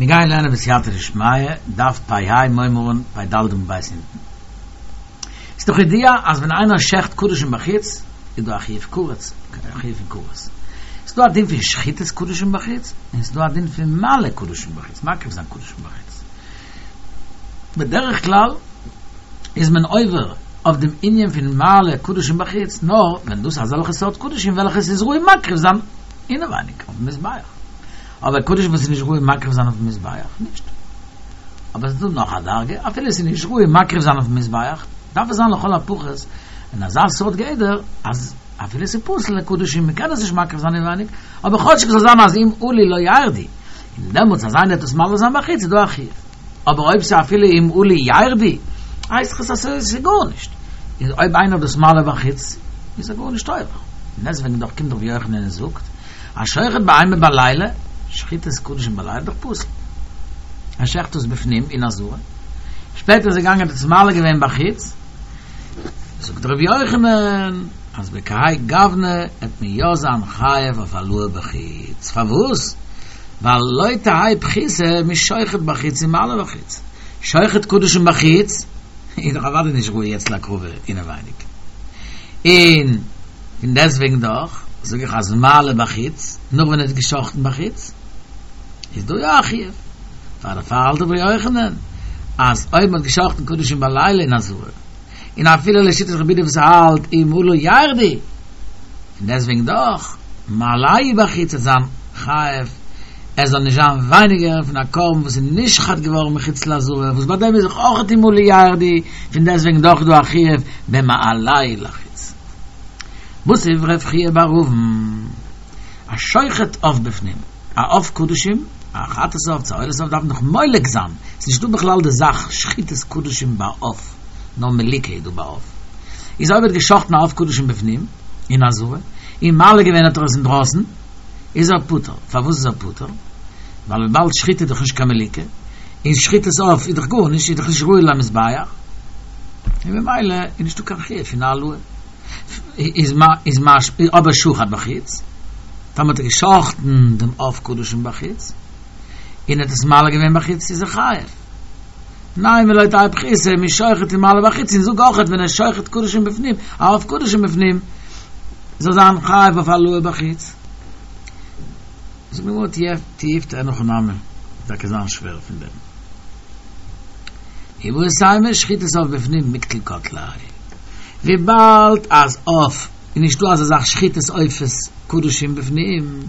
מיר גייען לערנען בסייעתא דשמיא, דף פ ה מיר הייבן אן פ ד עמוד ב' אונטן. ס'איז דאך ידוע אז ווען איינער שעכט קדשים בחוץ איז דא א חיוב כרת, א חיוב פון כרת. ס'איז דא א דין פון שחיטת קדשים בחוץ, און ס'איז דא א דין פון מעלה קדשים בחוץ, מקריב זיין קדשים בחוץ. בדרך כלל איז מען עובר אויף דעם ענין פון מעלה קדשים בחוץ נאר ווען דאס איז אזעלכע סארט קדשים וועלכע ס'איז ראוי מקריב זיין אינעווייניג אויפן מזבח. אבער קדשים וואס איז נישט ראוי מקריב זיין אויפן מזבח, נישט. אבער עס איז דא נאך א דרגה, אפילו עס איז נישט ראוי מקריב זיין אויפן מזבח, דארף עס זיין לכל הפחות אין אזא סארט גדר, אז אפילו עס איז פסול לקדשים, מען קען עס נישט מקריב זיין אינווייניג, אבער כאטשיג זאל זיין אז אם עלו לא ירדו, און דעמאלטס אז איינער וועט עס מעלה זיין בחוץ איז דא א חיוב. אבער אויב ס'איז אפילו אם עלו ירדו, הייסט עס אז ס'איז גארנישט. איז אויב איינער האט דאס מעלה בחוץ, איז ער גארנישט עובר. און דעסוועגן דאך קומט רבי יוחנן און זאגט, השוחט בהמה בלילה, שחיטת קדשים בלילה איז דאך פסול. ער שעכט עס בפנים אין עזרה, שפעטער איז ער געגאנגען האט עס מעלה געווען בחוץ, זאגט רבי יוחנן אז בכהאי גוונא עט מען יא זיין חייב אויף העלאה בחוץ, פארוואס? ווייל לא תהא פחותה משוחט בחוץ ומעלה בחוץ, שוחט קדשים בחוץ איז דאך אוודאי נישט ראוי יעצט להקרבה אינעווייניג, און פון דעסטוועגן דאך זאג איך אז מעלה בחוץ, נאך ווען ער האט געשחטן בחוץ, איז דא יא א חיוב, פאר דערפאר האלט רבי יוחנן אז אויב מען האט געשחטן קדשים בלילה אין עזרה, און אפילו לשיטת רבי יהודה וואס האלט אם עלו ירדו, פון דעסטוועגן דאך מעלהו בחוץ וועט זיין חייב עס זאל נישט זיין ווייניגער פון א קרבן וואס איז נשחט געווארן מחוץ לעזרה וואס ביי דעם איז דאך אויך אם עלו ירדו, פון דעסטוועגן דאך איז דא א חיוב במעלהו לחוץ. מתיב רב חייא בר אבין, השוחט עוף בפנים, א עוף קדשים, א חטאת עוף צו א עולת עוף דארף מען דאך מולק זיין, ס'איז נישטא בכלל די זאך שחיטת קדשים ביי עוף, נאר מליקה איז דא ביי עוף. איז אויב ער האט געשחטן א עוף קדשים בפנים, אין עזרה, און מעלה געווען האט ער עס אינדרויסן, איז ער פטור. פארוואס איז ער פטור? ווייל וויבאלד שחיטה איז דאך נישט קיין מליקה, און שחיטת עוף איז דאך גארנישט, איז דאך נישט ראוי למזבח, און ממילא איז נישטא קיין חיוב פון העלאה. איז איז משמע אבער שחט בחוץ, טאמער האט ער געשחטן דעם עוף קדשים בחוץ, און ער האט עס מעלה געווען בחוץ איז ער חייב. נימא לא תהא פחותה משוחט ומעלה בחוץ, און זאג אויכעט ווען ער שוחט קדשים בפנים, א עוף קדשים בפנים, זאל זיין חייב אויף העלאה בחוץ. זאגט די גמרא תיובתא אין הכי נמי, טאקע זיין שווער פון דעם. איבעית אימא שחיטת עוף בפנים מיקטל קטליה, וויבאלד אז עוף איז נישטא אזא זאך שחיטת עופות קדשים בפנים,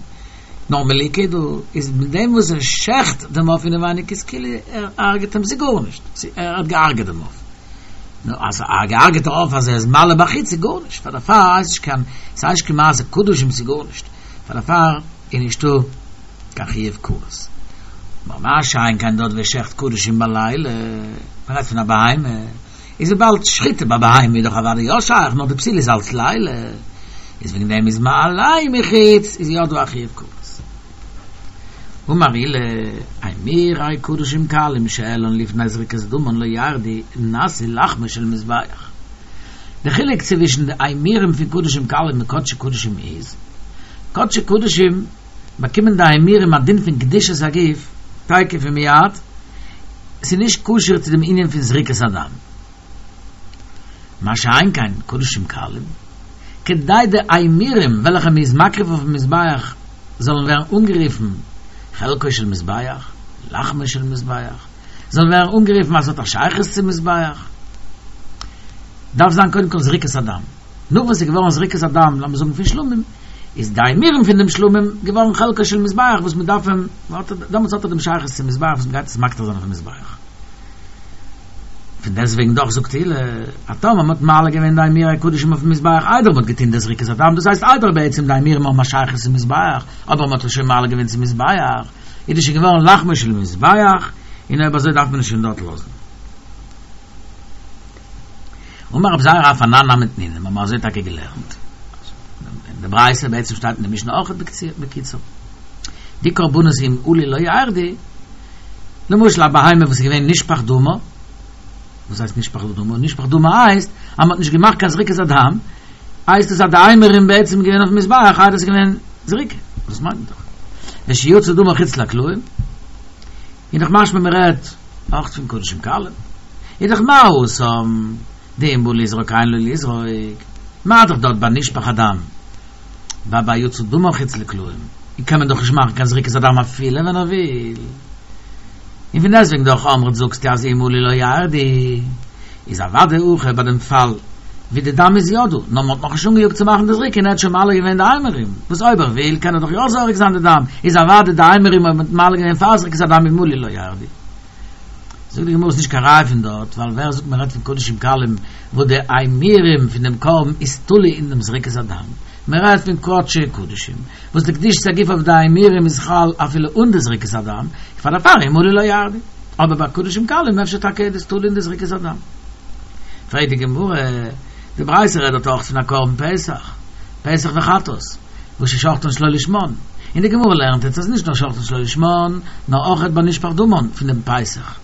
נאר מליקה דא איז מיט דעם וואס ער שעכט דעם עוף אינעווייניג איז כאילו ער הרג'ט אים ס'איז גארנישט ער האט געהרג'עט דעם עוף נו אז א געהרג'עטע עוף אז ער איז מעלה בחוץ איז גארנישט פאר דערפאר הייסט נישט קיין ס'הייסט נישט קיין מעשה קדשים ס'איז גארנישט פאר דערפאר איז נישטא קיין חיוב כרת מה שאין כן דארט ווי ער שעכט קדשים בלילה מ'רעדט פון א בהמה איז וויבאלד שחיטה ביי בהמה איז דאך אוודאי יא שייך נאר די פסילה איז אלץ לילה איז וועגן דעם איז מעלהו מחוץ איז יא דא א חיוב כרת. אמר עולא אימורי קדשים קלים שהעלן לפני זריקת דמן לא ירדו נעשו לחמו של מזבח. די חילוק צווישן די אימורים פון קדשים קלים און קדשי קדשים איז, קדשי קדשים באקומען די אימורים א דין פון קדושת הגוף תיכף ומיד, ס'איז נישט קשור צו דעם ענין פון זריקת הדם. מה שאין כן קדשים קלים, כדי די אימורים וועלכע מ'איז מקריב אויפן מזבח זאלן ווערן אנגערופן חלקו של מזבח, לחמו של מזבח, זאלן ווערן אנגערופן אז ס'האט א שייכות צום מזבח, דארף זיין קודם כל זריקת הדם. נאך וואס ס'איז געווארן זריקת הדם, לאמיר זאגן פון שלמים, איז די אימורים פון דעם שלמים געווארן חלקו של מזבח וואס מ'דארף אים, דעמאלטס האט ער דעם שייכות צום מזבח וואס מ'גייט עס מקטיר זיין אויפן מזבח. פון דעסטוועגן דאך זאגט עולא, אז טאמער מ'האט מעלה געווען די אימורי קדשים אויפן מזבח איידער מ'האט געטון די זריקת הדם, דאס הייסט איידער בעצם די אימורים האבן א שייכות צום מזבח, אבער מ'האט עס שוין מעלה געווען צום מזבח, איז דאס שוין געווארן לחמו של מזבח, און אויב אזוי דארף מען עס שוין דארט לאזן. אמר רב זירא אף אנן נמי תנינא, מיר האבן אזוי טאקע געלערנט אין די ברייתא, בעצם שטייט אין די משנה אויך בקיצור, די קרבנות אם עלו לא ירדו, למשל א בהמה וואס איז געווען נשפך דמה, וואס הייסט נשפך דמה? נשפך דמה הייסט אז מ'האט נישט געמאכט קיין זריקת הדם, הייסט עס אז די אימורים בעצם געווען אויפן מזבח איידער עס איז געווען זריקה, דאס מיינט מען דאך ושיצא דמה חוץ לקלעים. איז דאך משמע מען רעדט אויך פון קדשים קלים, איז דאך מה התם דאם בא לזרוק אין לו לזרוק, מה דאך דארט ביי נשפך הדם ביי ביי יצא דמן חוץ לקלעים קען מען דאך נישט מאכן קיין זריקת הדם אפילו ווען ער וויל, און פון דעסטוועגן דאך אמרת זאגסטו אז אם עלו לא ירדו, איז אוודאי הכא ביי דעם פאל ווי די דם איז יא דא, נאר מען האט נאכנישט אנגעיאגט צו מאכן די זריקה און ער האט שוין מעלה געווען די אימורים, וואס אויב ער וויל קען ער דאך יא זורק זיין די דם, איז אוודאי די אימורים אויב מען האט מעלה געווען פאר זריקת הדם אם עלו לא ירדו. זאגט די גמרא ס'נישט קיין ראיה פון דארט, ווייל ווער זאגט מען רעדט פון קדשים קלים וואס די אימורים פון דעם קרבן איז תלוי אין דעם זריקת הדם, מען רעדט פון קדשי קדשים וואס די קדושת הגוף אויף די אימורים איז חל אפילו אן די זריקת הדם, פאר דערפאר אם עלו לא ירדו. אבער ביי קדשים קלים אפשר טאקע איז דאס תלוי אין די זריקת הדם. פרעגט די גמרא, די ברייתא רעדט דארט אויך פון א קרבן פסח, פסח וחטאת, וואס ששחטן שלא לשמן, און די גמרא לערנט אונז אז נישט נאר שחטן שלא לשמן, נאר אויך ביי נשפך דמן פון דעם פסח,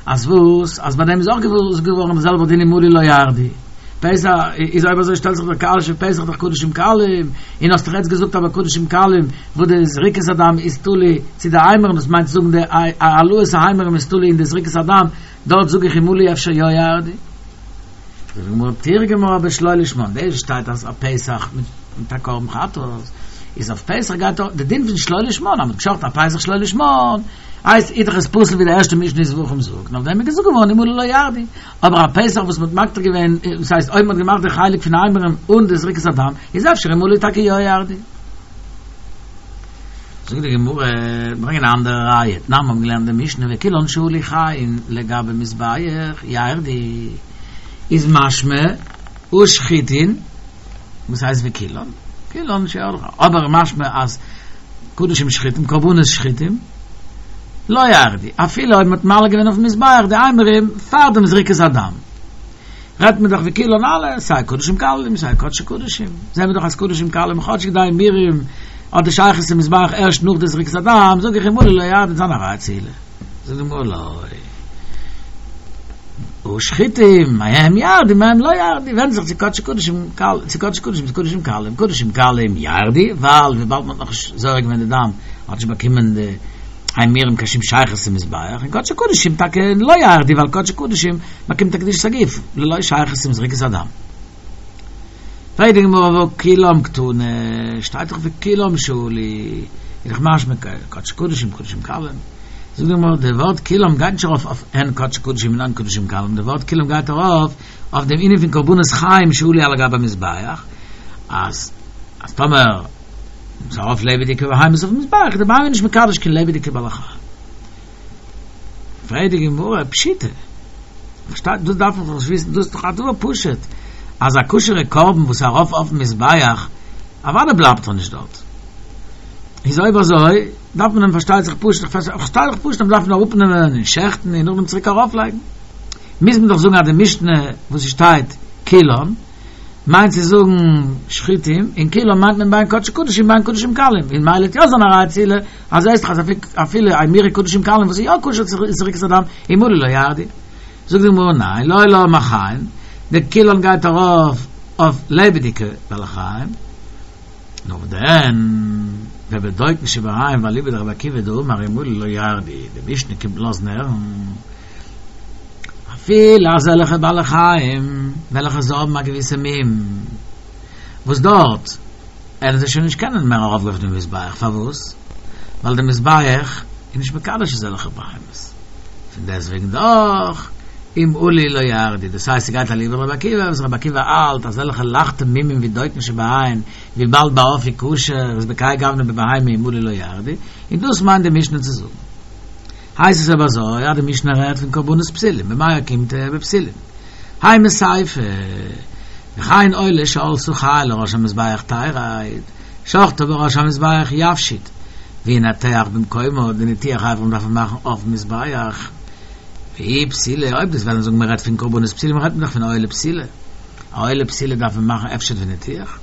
אז וואס? אז ביי דעם איז אויך געזאגט געווארן דער זעלבער דין אם עלו לא ירדו. פסח איז אויב אזוי שטעלט זיך די קשיא פסח דאך קדשים קלים, און האסט דאך יעצט געזאגט אז ביי קדשים קלים וואס די זריקת הדם איז תלוי צו די אימורים דאס מיינט צו זאגן די העלאת האימורים איז תלוי אין די זריקת הדם, דארט זאג איך אם עלו אפשר יא ירדו. זאגט די גמרא תרגמה בשלא לשמן, דאס שטייט אז א פסח מיט א קרבן חטאת איז אויף פסח גייט די דין פון שלא לשמן אז מען האט געשחטן א פסח שלא לשמן הייסט איז דאך עס פסול ווי די ערשטע משנה אין זבחים זאגט און אויף דעם איז געזאגט געווארן אם עלו לא ירדו אבער א פסח וואס מען האט מקטיר געווען דאס הייסט אויב מען האט געמאכט די חלק פון אימורים אן די זריקת הדם איז אפשר אם עלו טאקע יא ירדו. זאגט די גמרא, ברענגען א אנדערע ראיה, תנן מיר האבן געלערנט די משנה וכולן שעלו חיים לגבי מזבח ירדו, איז משמע ושחיטין, וואס הייסט וכולן? כולן שעלו, אבער משמע אז קדשים שחוטים, קרבנות שחוטים, לא ירדו, אפילו אויב מען האט מעלה געווען אויפן מזבח די אימורים פאר דעם זריקת הדם. רעדט מען דאך וכולן אלע, סיי קדשים קלים סיי קדשי קדשים, זעהן מיר דאך אז קדשים קלים כאטשיג די אימורים האט די שייכות צום מזבח ערשט נאך די זריקת הדם, זאג איך אם עלו לא ירדו זיין א ראיה צו עולא, זאגט די גמרא לא. ושחיטים, מהם ירדו מהם לא ירדו, ווענדט זיך צו קדשי קדשים צו קדשי קדשים צו קדשים קלים, קדשים קלים ירדו, ווייל וויבאלד מען האט נאכנישט זורק געווען די דם האט נישט באקומען די אימורים קיין שום שייכות צום מזבח, און קדשי קדשים טאקע לא ירדו ווייל קדשי קדשים באקומט א קדושת הגוף ללא שייכות צום זריקת הדם. פרעגט די גמרא והא כולם קתני, שטייט דאך וכולם שעלו, איז דאך משמע קדשי קדשים קדשים קלים. זאגט די גמרא די ווארט כולם גייט נישט ארויף אויף הן קדשי קדשים און הן קדשים קלים, די ווארט כולם גייט ארויף אויף דעם ענין פון קרבנות חיים שעלו על גבי המזבח, אז אז טאמער ס'איז ארויף לעבעדיגע בהמות אויפן מזבח איז די בהמה נישט מקדש קיין לעבעדיגע בעלי חיים. פרעגט די גמרא, פשיטא, פארשטייט, דאס דארף מען דאך נישט וויסן, דאס איז דאך א דבר פשוט, אז א כשר'ע קרבן וואס איז ארויף אויפן מזבח, אוודאי בלייבט ער נישט דארט. איז אויב אזוי, דארף מען אים פארשטייט זיך פשוט, פארשטייט זיך פשוט אז מען דארף אים אראפנעמען און שעכטן און נאכדעם צוריק ארויפלייגן. מוז מען דאך זאגן אז די משנה וואס עס שטייט כולן, מיינט צו זאגן שחוטים, און כולן מיינט מען בין קדשי קדשים בין קדשים קלים, און ממילא וועט יא זיין א ראיה צו עולא, אז זעסט דאך אז אפילו אימורי קדשים קלים וואס איז יא כשר צו זריקת הדם, אם עלו לא ירדו. זאגט די גמרא ניין, לעולם החיים, די כולן גייט ארויף אויף לעבעדיגע בעלי חיים, נאר דען ובדוקין שבעין ואליבא דרבי עקיבא דאמר אם עלו לא ירדו, די משנה קומט לאזן הערן. אפילו אזעלכע בעלי חיים וועלכע זיי האבן א געוויסע מום, וואס דארט וועלן זיי שוין נישט קענען מער ארויפגיין אויף דעם מזבח, פארוואס? ווייל דער מזבח איז נישט מקדש אזעלכע בהמות, פון דעסטוועגן דאך אם עלו לא ירדו, דאס הייסט ס'גייט אליבא דרבי עקיבא, וואס רבי עקיבא האלט אזעלכע לייכטע מומים ווי דוקין שבעין, וויבאלד ביי עוף איז כשר איז בכהאי גוונא בבהמה אם עלו לא ירדו, און דאס מיינט די משנה צו זאגן. הייסט עס אויב אזוי אז די משנה רעדט פון קרבנות פסולים, במאי אוקימתא בפסולים. האי מסיפא, וכן עולה שעלתה חיה לראש המזבח תרד, שחטה בראש המזבח יפשיט, וינתח במקומה, די ניתוח אברים דארף מען מאכן אויפן מזבח. ואי פסילה, אויב דו'סט וועלן זאגן מען רעדט פון קרבנות פסולים רעדט מען דאך פון עולה פסולה. א עולה פסולה דארף מען מאכן הפשט וניתוח.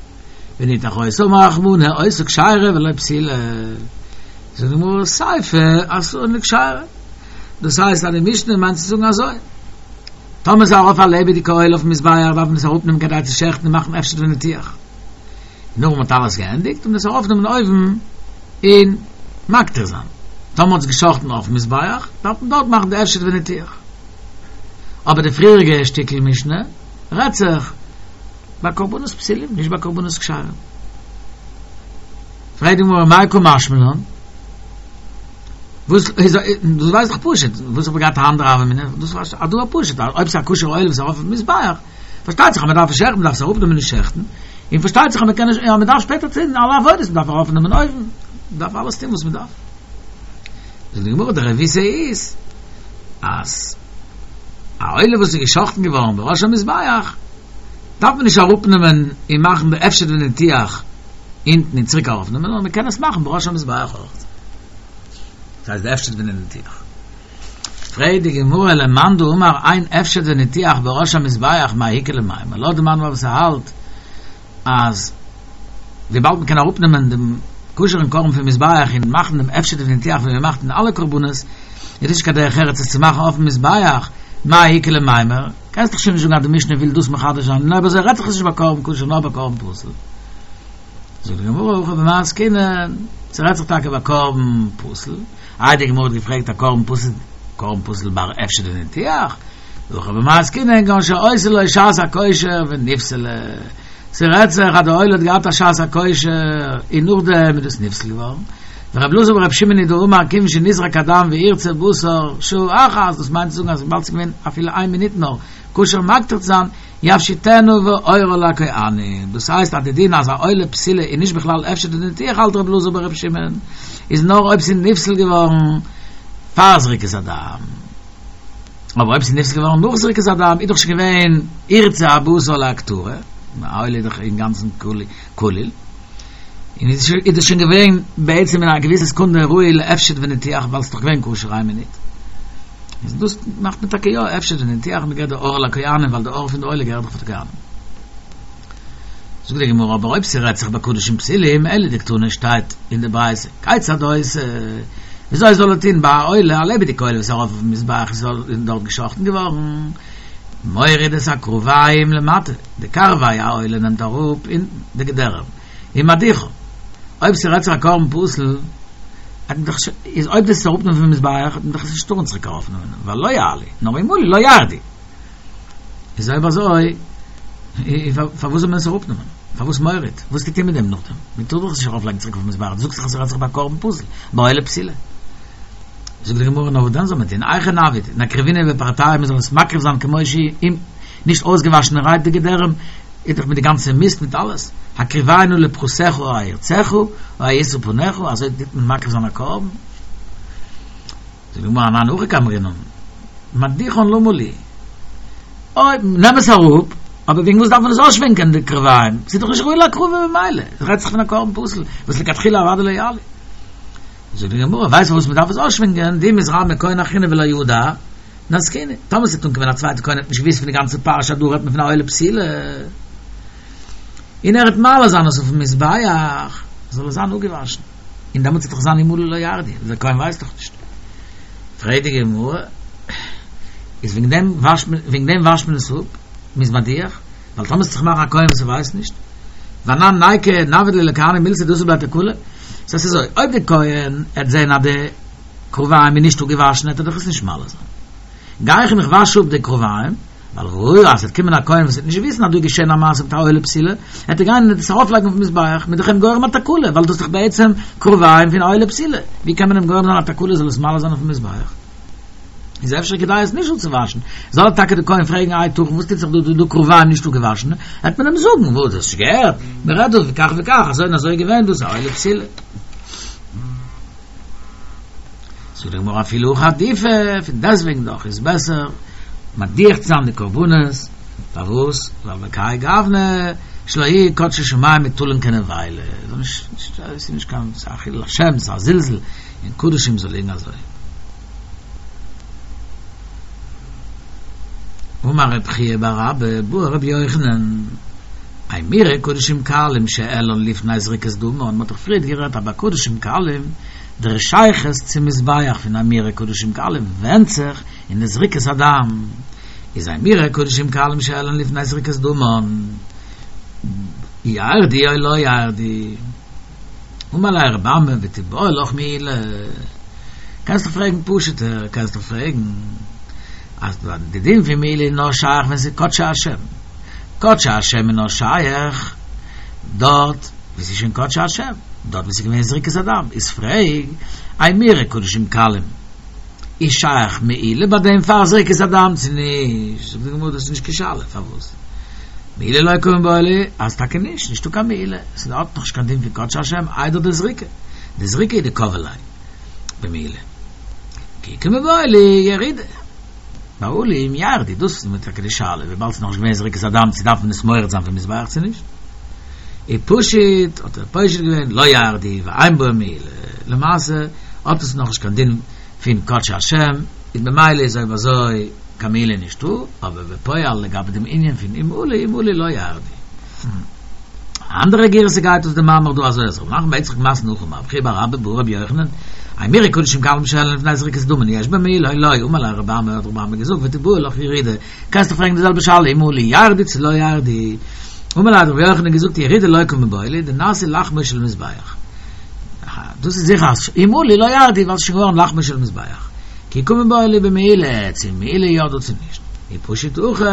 וניתח אותה אמר רחמנא עושה כשרה ולא פסילה. זאגט די גמרא סיפא אתאן לכשרה. דאס הייסט אז די משנה מיינט צו זאגן אזוי, טאמער איז ארויף א לעבעדיגע עולה אויפן מזבח דארף מען עס אראפנעמען כדי צו שעכטן און מאכן הפשט וניתוח. נאך מען האט אלעס געענדיגט און עס ארויפנעמען אויבן און מקטיר זיין. טאמער מ'האט עס געשחט'ן אויפן מזבח, דארף מען דארט מאכן די הפשט וניתוח. אבער די פריעריגע שטיקל משנה רעדט זיך ביי קרבנות פסולים, נישט ביי קרבנות כשרים. פרעגט די גמרא מאי קא משמע לן? וואס איז דאס ווייסט דאך פשוט, וואס האב איך געהאט א אנדערע הוה אמינא, דאס איז א דבר פשוט, אויב ס'איז א כשר'ע עולה וואס איז ארויף אויפן מזבח, פארשטייט זיך אז מען דארף עס שעכטן, מען דארף עס אראפנעמען און שעכטן, און פארשטייט זיך אז מען קען נישט, אז מען דארף שפעטער טון אלע עבודות, מען דארף ארויפנעמען אויבן, מען דארף אלעס טון וואס מען דארף. זאגט די גמרא, די רבותא איז אז א עולה וואס איז געשאכטן געווארן בראש המזבח, דארף מען נישט אראפנעמען און מאכן די הפשט וניתוח אונטן און צוריק ארויפנעמען, נאר מען קען עס מאכן בראש המזבח אויך. דאס הייסט די הפשט וניתוח. פרעגט די גמרא למאן דאמר אין הפשט וניתוח בראש המזבח מאי איכא למימר, לויט די מאן וואס האלט אז וויבאלד מען קען אראפנעמען דעם כשר'ן קרבן פון מזבח און מאכן דעם הפשט וניתוח ווי מען מאכט אין אלע קרבנות, איז נישט קיין דרך ארץ עס צו מאכן אויפן מזבח, מאי איכא למימר, קענסט דאך שוין נישט זאגן אז די משנה וויל דאס מחדש זיין, און אויב אזוי רעדט זיך עס נישט ביי קרבן כשר נאר ביי קרבן פסול. זאגט די גמרא הכא במאי עסקינן, ס'רעדט זיך טאקע ביי קרבן פסול, איי די גמרא האט געפרעגט א קרבן פסול, קרבן פסול בר הפשט וניתוח, הכא במאי עסקינן כגון שהיתה לו שעת הכושר ונפסלה, ס'רעדט זיך אז די עולה האט געהאט א שעת הכושר און נאכדעם איז דאס נפסל געווארן, ורבי אלעזר ברבי שמעון היא דאמר כיוון שנזרק הדם וירצה בשר שעה אחת, דאס מיינט צו זאגן אז וויבאלד ס'איז געווען אפילו איין מינוט נאר כשר מקטיר צו זיין, יפשיטנה ועורה לכהנים, דאס הייסט אז די דין אז א עולה פסולה איז נישט בכלל הפשט וניתוח האלט רבי אלעזר ברבי שמעון איז נאר אויב ס'איז נפסל געווארן פאר זריקת הדם, אבער אויב ס'איז נפסל געווארן נאך זריקת הדם איז דאך שוין געווען ירצה הבשר להקטרה, א עולה איז דאך אינגאנצן כליל, און איז דאס שוין געווען בעצם אין א געוויסע סעקונדע ראוי להפשט וניתוח ווייל ס'איז דאך געווען כשר איין מינוט. איז דאס מאכט מען טאקע יא הפשט וניתוח מ'געבט די עור לכהנים ווייל די עור פון די עולה געהערט דאך פאר די כהנים. זאגט די גמרא אבער אויב ס'רעדט זיך ביי קדשים פסולים אלא דקתני שטייט אין די ברייתא כיצד עושה וויאזוי זאל ער טון ביי א עולה א לעבעדיגע עולה וואס איז ארויף אויפן מזבח איז דארט געשאכטן געווארן מוריד את הקרביים למטה די קרבי העולה נעמט אראפ אונטן די געדערעם ומדיחן אויב ס'רעדט זיך א קרבן פסול איז אויב דאס איז אראפנעמען פון מזבח האט מען דאך עס נישט טארן צוריק ארויפנעמען ווייל לא יעלו נאר אם עלו לא ירדו איז אויב אזוי פארוואס זאל מען עס אראפנעמען? פארוואס מוריד? וואס טוט איר מיט דעם נאכדעם? מען טאר דאך עס נישט ארויפלייגן צוריק אויפן מזבח, דו זאגסט דאך אז ס'רעדט זיך ביי קרבן פסול, ביי עולה פסולה. זאגט די גמרא נאר וואס דען זאל מען טון? היכי נעביד, נקריבינהו בפרתייהו מען זאל עס מקריב זיין כמו שהיא, נישט אויסגעוואשענערהייט די געדערים, איז דאך מיט די גאנצע מיסט מיט אלעס, הקריבנו לפחתך או הירצך או הישא פניך, אזוי טוט מען מקריב זיין א קרבן? זאגט די גמרא אנן הכי קאמרינן, מדיחן למה לי, אויב נעם עס אראפ, אבער וועגן וואס דארף מען עס אויסשווענקען די קרביים, ס'איז דאך נישט ראוי להקרבה ממילא, עס רעדט זיך פון א קרבן פסול, וואס לכתחילה אוודאי לא יעלו. זאגט די גמרא, ווייסט פארוואס מען דארף עס אויסשווענקען, דאי מתרמי כהן אחרינא ולא ידע, נזקינן, טאמער ס'וועט אנקומען א צווייטע כהן האט נישט געוואוסט פון די גאנצע פרשה אז דא רעדט מען פון א עולה פסולה, און ער וועט מעלה זיין עס אויפן מזבח, זאל עס זיין אפגעוואשן, און דעמאלטס וועט דאך זיין אם עלו לא ירדו, דער כהן ווייסט דאך נישט. פרעגט די גמרא, איז וועגן דעם וואשט מען, וועגן דעם וואשט מען עס אפ, מ'איז מדיח, ווייל טאמער ס'וועט זיך מאכן א כהן וואס ער ווייסט נישט, ואנן ניקו נעביד ליה לכהנים מילתא דאתי בה תקלה, ס'הייסט אזוי, אויב דער כהן עט זען אז די קרביים איז נישט אפגעוואשן עט ער דאך עס נישט מעלה זיין. גיי איך און איך וואש אפ די קרביים, ווייל ראיה אז ס'וועט קומען א כהן וואס וועט נישט וויסן אז דא איז געשען א מעשה מיט א עולה פסולה, וועט ער גיין און עס ארויפלייגן אויפן מזבח, מ'איז דאך אים גורם א תקלה, ווייל דאס איז דאך בעצם קרביים פון א עולה פסולה, ווי קען מען אים גורם זיין א תקלה זאל עס מעלה זיין אויפן מזבח? איז אפשר כדאי עס נישט אפצואוואשן, זאל טאקע דער כהן פרעגן היתכן וואס טוט זיך דא, דא דא קרביים נישט אפגעוואשן, וועט מען אים זאגן, וואס דו האסט נישט געהערט, מען רעדט דא וכך וכך, אזוי און אזוי איז געווען, דאס איז א עולה פסולה. זאגט די גמרא אפילו הכי עדיפא, פון דעסטוועגן דאך איז בעסער מדיח צו זיין די קרבנות, פארוואס? ווייל בכהאי גוונא שלא יהו קדשי שמים מוטלין כנבילה, ס'איז נישט קיין חילול השם, ס'איז א זלזול אין קדשים זאל ליגן אזוי. אמר רב חייא בר אבא בעי רבי יוחנן, אימורי קדשים קלים שהעלן לפני זריקת דמן, מ'האט דאך פריערט גערעדט אז ביי קדשים קלים דער שייכות צום מזבח פון אימורי קדשים קלים ווענדט זיך אין די זריקת הדם, איז אימורי קדשים קלים שהעלן לפני זריקת דמן ירדו או לא ירדו. אמר ליה רבי אמי ותיבעי לך מעילה. קענסט דאך פרעגן פשוט'ער, קענסט דאך פרעגן אז די דין פון מעילה איז נאר שייך ווען ס'איז קדשי השם, קדשי השם איז נאר שייך דארט וואו ס'איז שוין קדשי השם, דארט וואו ס'איז געווען זריקת הדם, איז פרעג, אימורי קדשים קלים, איז שייך מעילה ביי דעם פאר זריקת הדם צו נישט? זאגט די גמרא דאס איז נישט קיין שאלה, פארוואס? מעילה לא קא מיבעיא ליה, אז טאקע נישט, נישטא קיין מעילה, ס'האט נאך נישט קיין דין פון קדשי השם איידער די זריקה, די זריקה איז דקבעא ליה במעילה. כי קא מיבעיא ליה ירידה. בעלים ירדו, דאס איז טאקע די שאלה, וויבאלד ס'איז נאכנישט געווען זריקת הדם צו דארף מען עס מורד זיין פון מזבח צו נישט. ופשיט, האט ער פושט געווען, לא ירדו ואין בו מעילה, למעשה האט עס נאכנישט קיין דין פון קדשי השם, איז ממילא איז אויב אזוי קיין מעילה נישטא, אבער בפועל לגבי דעם ענין פון אם עלו אם עלו לא ירדו. א אנדערע גירסא גייט אויס די מאמר דא אזוי אז רב נחמן בר יצחק מתני הכי אמר רבי חייא בר אבא בעי רבי יוחנן אימורי קדשים קלים שהועלו לפני זריקת דמן יש בהן מעילה או לא אמר ליה רבי אמי האט רבי אמי געזאגט ותיבעי לך ירידה קענסט דאך פרעגן די זעלבע שאלה אם עלו ירדו צו לא ירדו אמר ליה האט רבי יוחנן געזאגט ירידה לא קא מיבעיא ליה דנעשו לחמו של מזבח דאס איז זיכער אז אם עלו לא ירדו ווייל ס'איז שוין געווארן לחמו של מזבח כי קא מיבעיא ליה במעילה צו מעילה יא דא צו נישט ופשיט הכי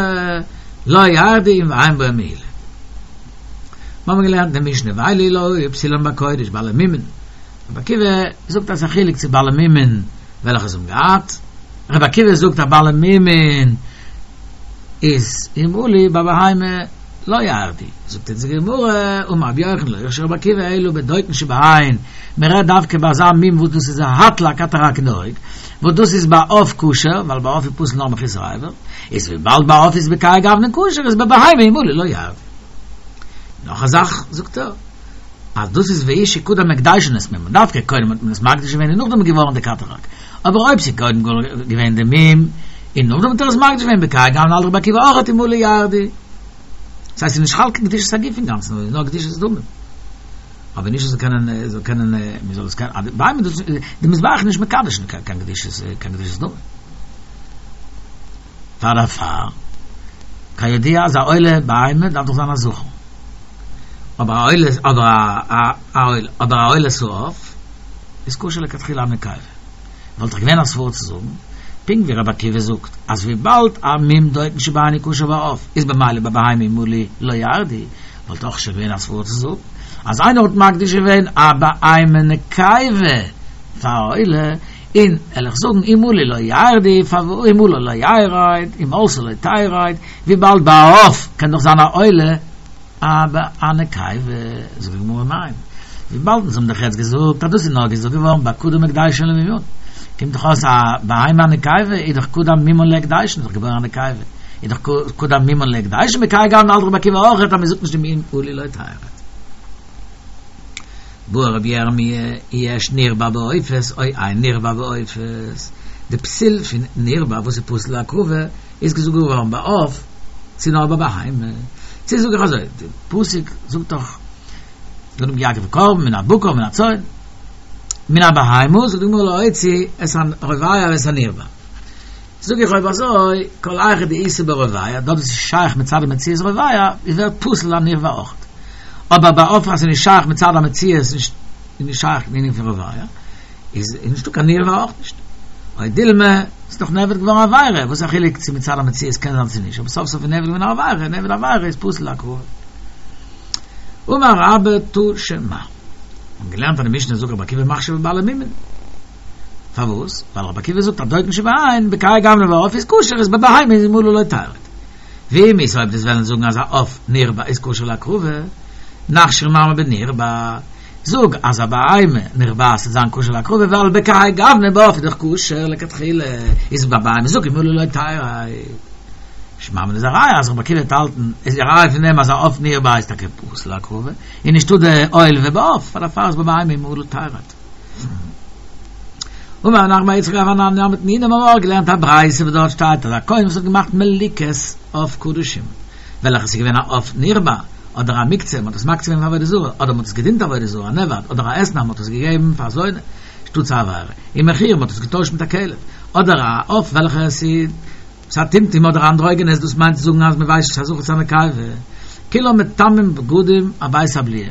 לא ירדו ואין בו מעילה. מיר האבן געלערנט אין די משנה ואלו לא היו פסולן בקודש בעלי מומין. רבי עקיבא זאגט אז ס'איז א חילוק צו בעלי מומין וועלכע זיי האבן געהאט. רבי עקיבא זאגט אז בעלי מומין איז אם עלו ביי בהמה לא ירדו. זאגט אונז די גמרא, אמר רבי יוחנן לא הכשיר רבי עקיבא אלא בדוקין שבעין, מען רעדט דווקא ביי אזא מום וואס דאס איז א האט א קאטאראק אין די אויג, וואס דאס איז ביי עוף כשר, ווייל ביי עוף איז פסול נאר מחוסר אבר, איז וויבאלד ביי עוף איז בכהאי גוונא כשר איז ביי בהמה אם עלו לא ירדו. נאך א זאך זאגט ער, אז דאס איז והוא שקדם הקדישן את מומן, דווקא קודם האט מען עס מקדיש געווען און נאכדעם איז געווארן די קאטאראק, אבער אויב ס'איז קודם געווען די מום און נאכדעם האט ער עס מקדיש געווען בכהאי גוונא האלט רבי עקיבא אויכעט אם עלו ירדו. ס'הייסט ס'איז נישט חל קיין קדושת הגוף אינגאנצן, נאר נאר קדושת דמים. אבער נישט זאל קענען זאל קענען מען זאל עס קענען בהמה דאס די מזבח איז נישט מקדש קיין קדושת קיין קדושת דמים. פאר דערפאר כידוע אז א עולה בהמה דארף דאך זיין א זכר. אבער א עולה אבער א א עולה אבער א עולת העוף איז כשר לכתחילה א נקבה. וואלט דאך געווען א סברא צו זאגן, פונקט ווי רבי עקיבא זאגט אז וויבאלד א מום דוקין שבעין איז כשר בעוף איז במילא ביי בהמה אם עלו לא ירדו, וואלט אויך שוין געווען א סברא צו זאגן אז איינער האט מקדיש געווען א בהמה נקבה פאר א עולה, און וועל איך זאגן אם עלו לא ירדו, פארוואס אם עלה לא ירד, אם עלתה לא תרד, וויבאלד ביי א עוף קען דאך זיין א עולה א נקבה, זאגט די גמרא ניין, וויבאלד אונז האבן דאך יעצט געזאגט אז דאס איז נאר געזאגט געווארן ביי קדם הקדשן למומן, קומט דאך אויס א בהמה א נקבה איז דאך קדם מומן להקדשן, איז דאך געבוירן א נקבה, איז דאך קדם מומן להקדשן בכהאי גוונא האלט רבי עקיבא אויכעט אז מען זאגט נישט דעם אם עלו לא תרד. בעי רבי ירמי' יש נרבע בעופות או אין נרבע בעופות, די פסול פון נרבע וואס איז פסול להקרבה איז געזאגט געווארן ביי עוף צו נאר ביי בהמה, צו זאג איך אזוי, די פסוק זאגט דאך ונתן יקריב קרבן מן הבקר מן הצאן מן הבהמה, זאגט די גמרא להוציא את הרובע ואת הנרבע, זאג איך אויב אזוי כל היכא דאיתא ברובע, דארט וואס איז שייך מצד המציאות רובע, איז ווערט פסול א נרבע אויך, אבער ביי עוף אז ס'איז נישט שייך מצד המציאות איז נישט שייך די ענין פון רובע. איז נישטא קיין נרבע אויך נישט. או דילמא, ס'איז דאך נעבד געווארן א עבירה, וואס א חילוק צו מצד המציאות קען זיין צו נישט, אבער סוף סוף איז נעבד געווארן א עבירה, נעבד עבירה איז פסול להקרבה. אמר רבה תא שמע. מ'האט געלערנט אין די משנה זאגט רבי עקיבא מכשיר בבעלי מומין. פארוואס? ווייל רבי עקיבא זאגט אז דוקין שבעין, בכהאי גוונא בעוף איז כשר איז בבהמה איז אם עלו לא תרד. ואם איז אויב דו'סט וועלן זאגן אז א עוף נרבע איז כשר להקרבה, נכשיר נמי בנרבע, זאג אז א בהמה נרבעת וועט זיין כשר להקרבה ווייל בכהאי גוונא בעוף איז דאך כשר לכתחילה, איז ביי בהמה זאג אם עלו לא תרד. שמע מינה איז א ראיה אז רבי עקיבא וועט האלטן איז א ראיה פון דעם אז א עוף נרבע איז טאקע פסול להקרבה, און נישטא די עולב בעוף, פאר דערפאר איז ביי בהמה אם עלו תרד. אמר רב נחמן בר יצחק רב אנן נמי תנינא מיר האבן אויך געלערנט א ברייתא וואס דארט שטייט אז א כהן וואס האט געמאכט מליקות אויף קדשים וועלכע ס'איז געווען א עוף נרבע אדער א מוקצה מ'האט עס מקצה געווען פאר עבודה זרה אדער מ'האט עס געדינט עבודה זרה א נאבד אדער א אתנן מ'האט עס געגעבן פאר א זונה שטאטס א עבירה ומכירה מ'האט עס געטוישט מיט א כלב אדער א עוף וועלכע ס'איז א טומטום אדער אנדרוגינוס דאס מיינט צו זאגן אז מ'ווייסט נישט א זכר צו א נקבה כולן מטמאין בגדים אבית הבליעה.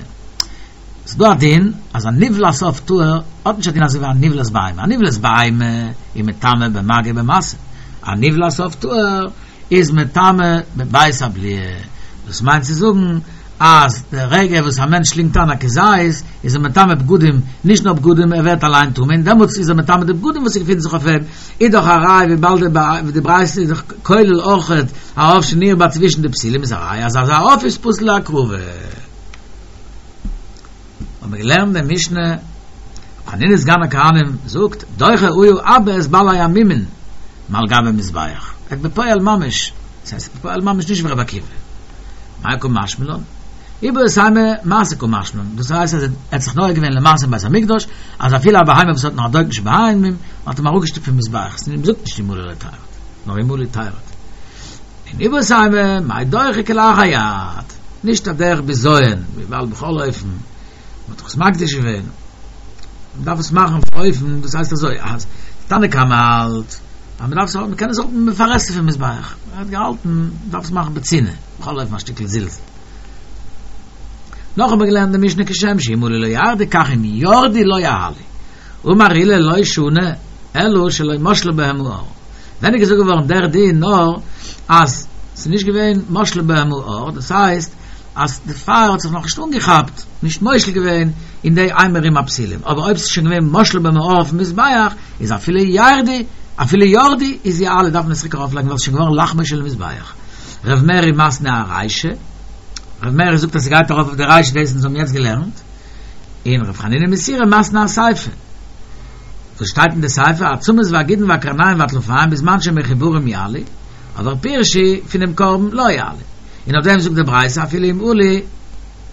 ס'איז דא א דין אז א נבלת עוף טהור האט נישט א דין אזוי ווי א נבלת בהמה, א נבלת בהמה איז מטמא במגע במשא, א נבלת עוף טהור איז מטמא בבית הבליעה, דאס מיינט צו זאגן אז די רגע וואס א מענטש שלינגט איין א כזית איז ער מטמא בגדים, נישט נאר בגדים ער ווערט אליין טמא און דעמאלטס איז ער מטמא די בגדים וואס געפינט זיך אויף אים, איז דאך א ראיה וויבאלד די ברייתא איז דאך כולל אויכעט א עוף שנרבע צווישן די פסילים איז א ראיה אז אזא עוף איז פסול להקרבה. האבן מיר געלערנט די משנה, רבי חנינא סגן הכהנים זאגט, דוחה היה אבא את בעלי המומין מעל גבי מזבח, ער האט בפועל ממש, דאס הייסט בפועל ממש נישט ווי רבי עקיבא, מאי קא משמע לן? איבעית אימא מעשה קא משמע לן, דאס הייסט אז ער האט זיך נוהג געווען למעשה אין בית המקדש, אז אפילו א בהמה וואס האט נאך א דופן שבהמיים, האט מען אראפגעשטופט פון מזבח, מען זאגט נישט אם עלה לא תרד, נאר אם עלה תרד. און איבעית אימא, מאי דוחה כלאחר יד, נישט א דרך בזיון, וויבאלד בכל אופן, מען האט דאך עס מקדיש געווען, מען דארף עס מאכן אויף אופן, דאס הייסט אזוי, אז תנא קמא האלט, אז מען דארף עס, מען קען עס מפרסם פון מזבח, ער האט געהאלטן, מען דארף עס מאכן בצנעה, בכל אופן א שטיקל זלזול. נאך האבן מיר געלערנט די משנה כשם שאם עלו לא ירדו כך אם ירדו לא יעלו. אמר עולא לא שנו אלא שלא משלו בהם האור. ווען איז געזאגט געווארן דער דין נאר אז ס'איז נישט געווען משלו בהם האור, דאס הייסט אז די פייער האט זיך נאכנישט אנגעכאפט, נישט מושל געווען אין די אימורים הפסולים, אבער אויב ס'איז שוין געווען משלו בהם האור אויפן מזבח, איז אפילו ירדו, אפילו ירדו איז יעלו דארף מען עס צוריק ארויפלייגן ווייל ס'איז שוין געווארן לחמו של מזבח. ר' מרי מתני ארישא, ר' מרי זאגט אז ס'גייט ארויף אויף די רישא דאס וואס אונז האבן יעצט געלערנט. און ר' חנינא מסורא מתני אסיפא. וואס שטייט אין די סיפא, העצמות והגידין והקרניים והטלפיים בזמן שמחוברים יעלו, אבער פירשו פונעם קרבן לא יעלו. און אויף דעם זאגט די ברייתא אפילו אם עלו,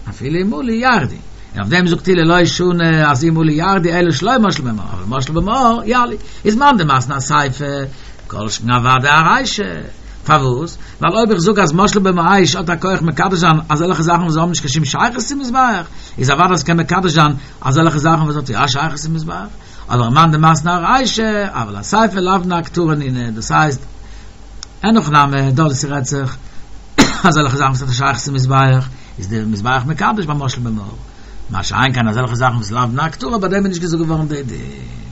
אפילו אם עלו ירדו. און אויף דעם זאגט עולא לא שנו אז אם עלו ירדו אלא שלא משלו בהם האור, אבל משלו בהם האור יעלו. איז מאן דמתני אסיפא, כל שכן אוודאי ארישא. פארוואס? ווייל אויב איך זאג אז משלו בהם האש האט א כח מקדש זיין אזעלכע זאכן וואס האבן נישט קיין שום שייכות צום מזבח, איז אוודאי אז ס'קען מקדש זיין אזעלכע זאכן וואס האט יא א שייכות צום מזבח. אבער מאן דמתני ארישא, אבל אסיפא לאו בני הקטרה נינהו, דאס הייסט, אין הכי נמי, דארט וואו ס'רעדט זיך אזעלכע זאכן וואס האט א שייכות צום מזבח, איז די מזבח מקדש ביי משלו בהם האור. מה שאין כן אזעלכע זאכן וואס לאו בני הקטרה, ביי דעם איז נישט געזאגט געווארן די דין.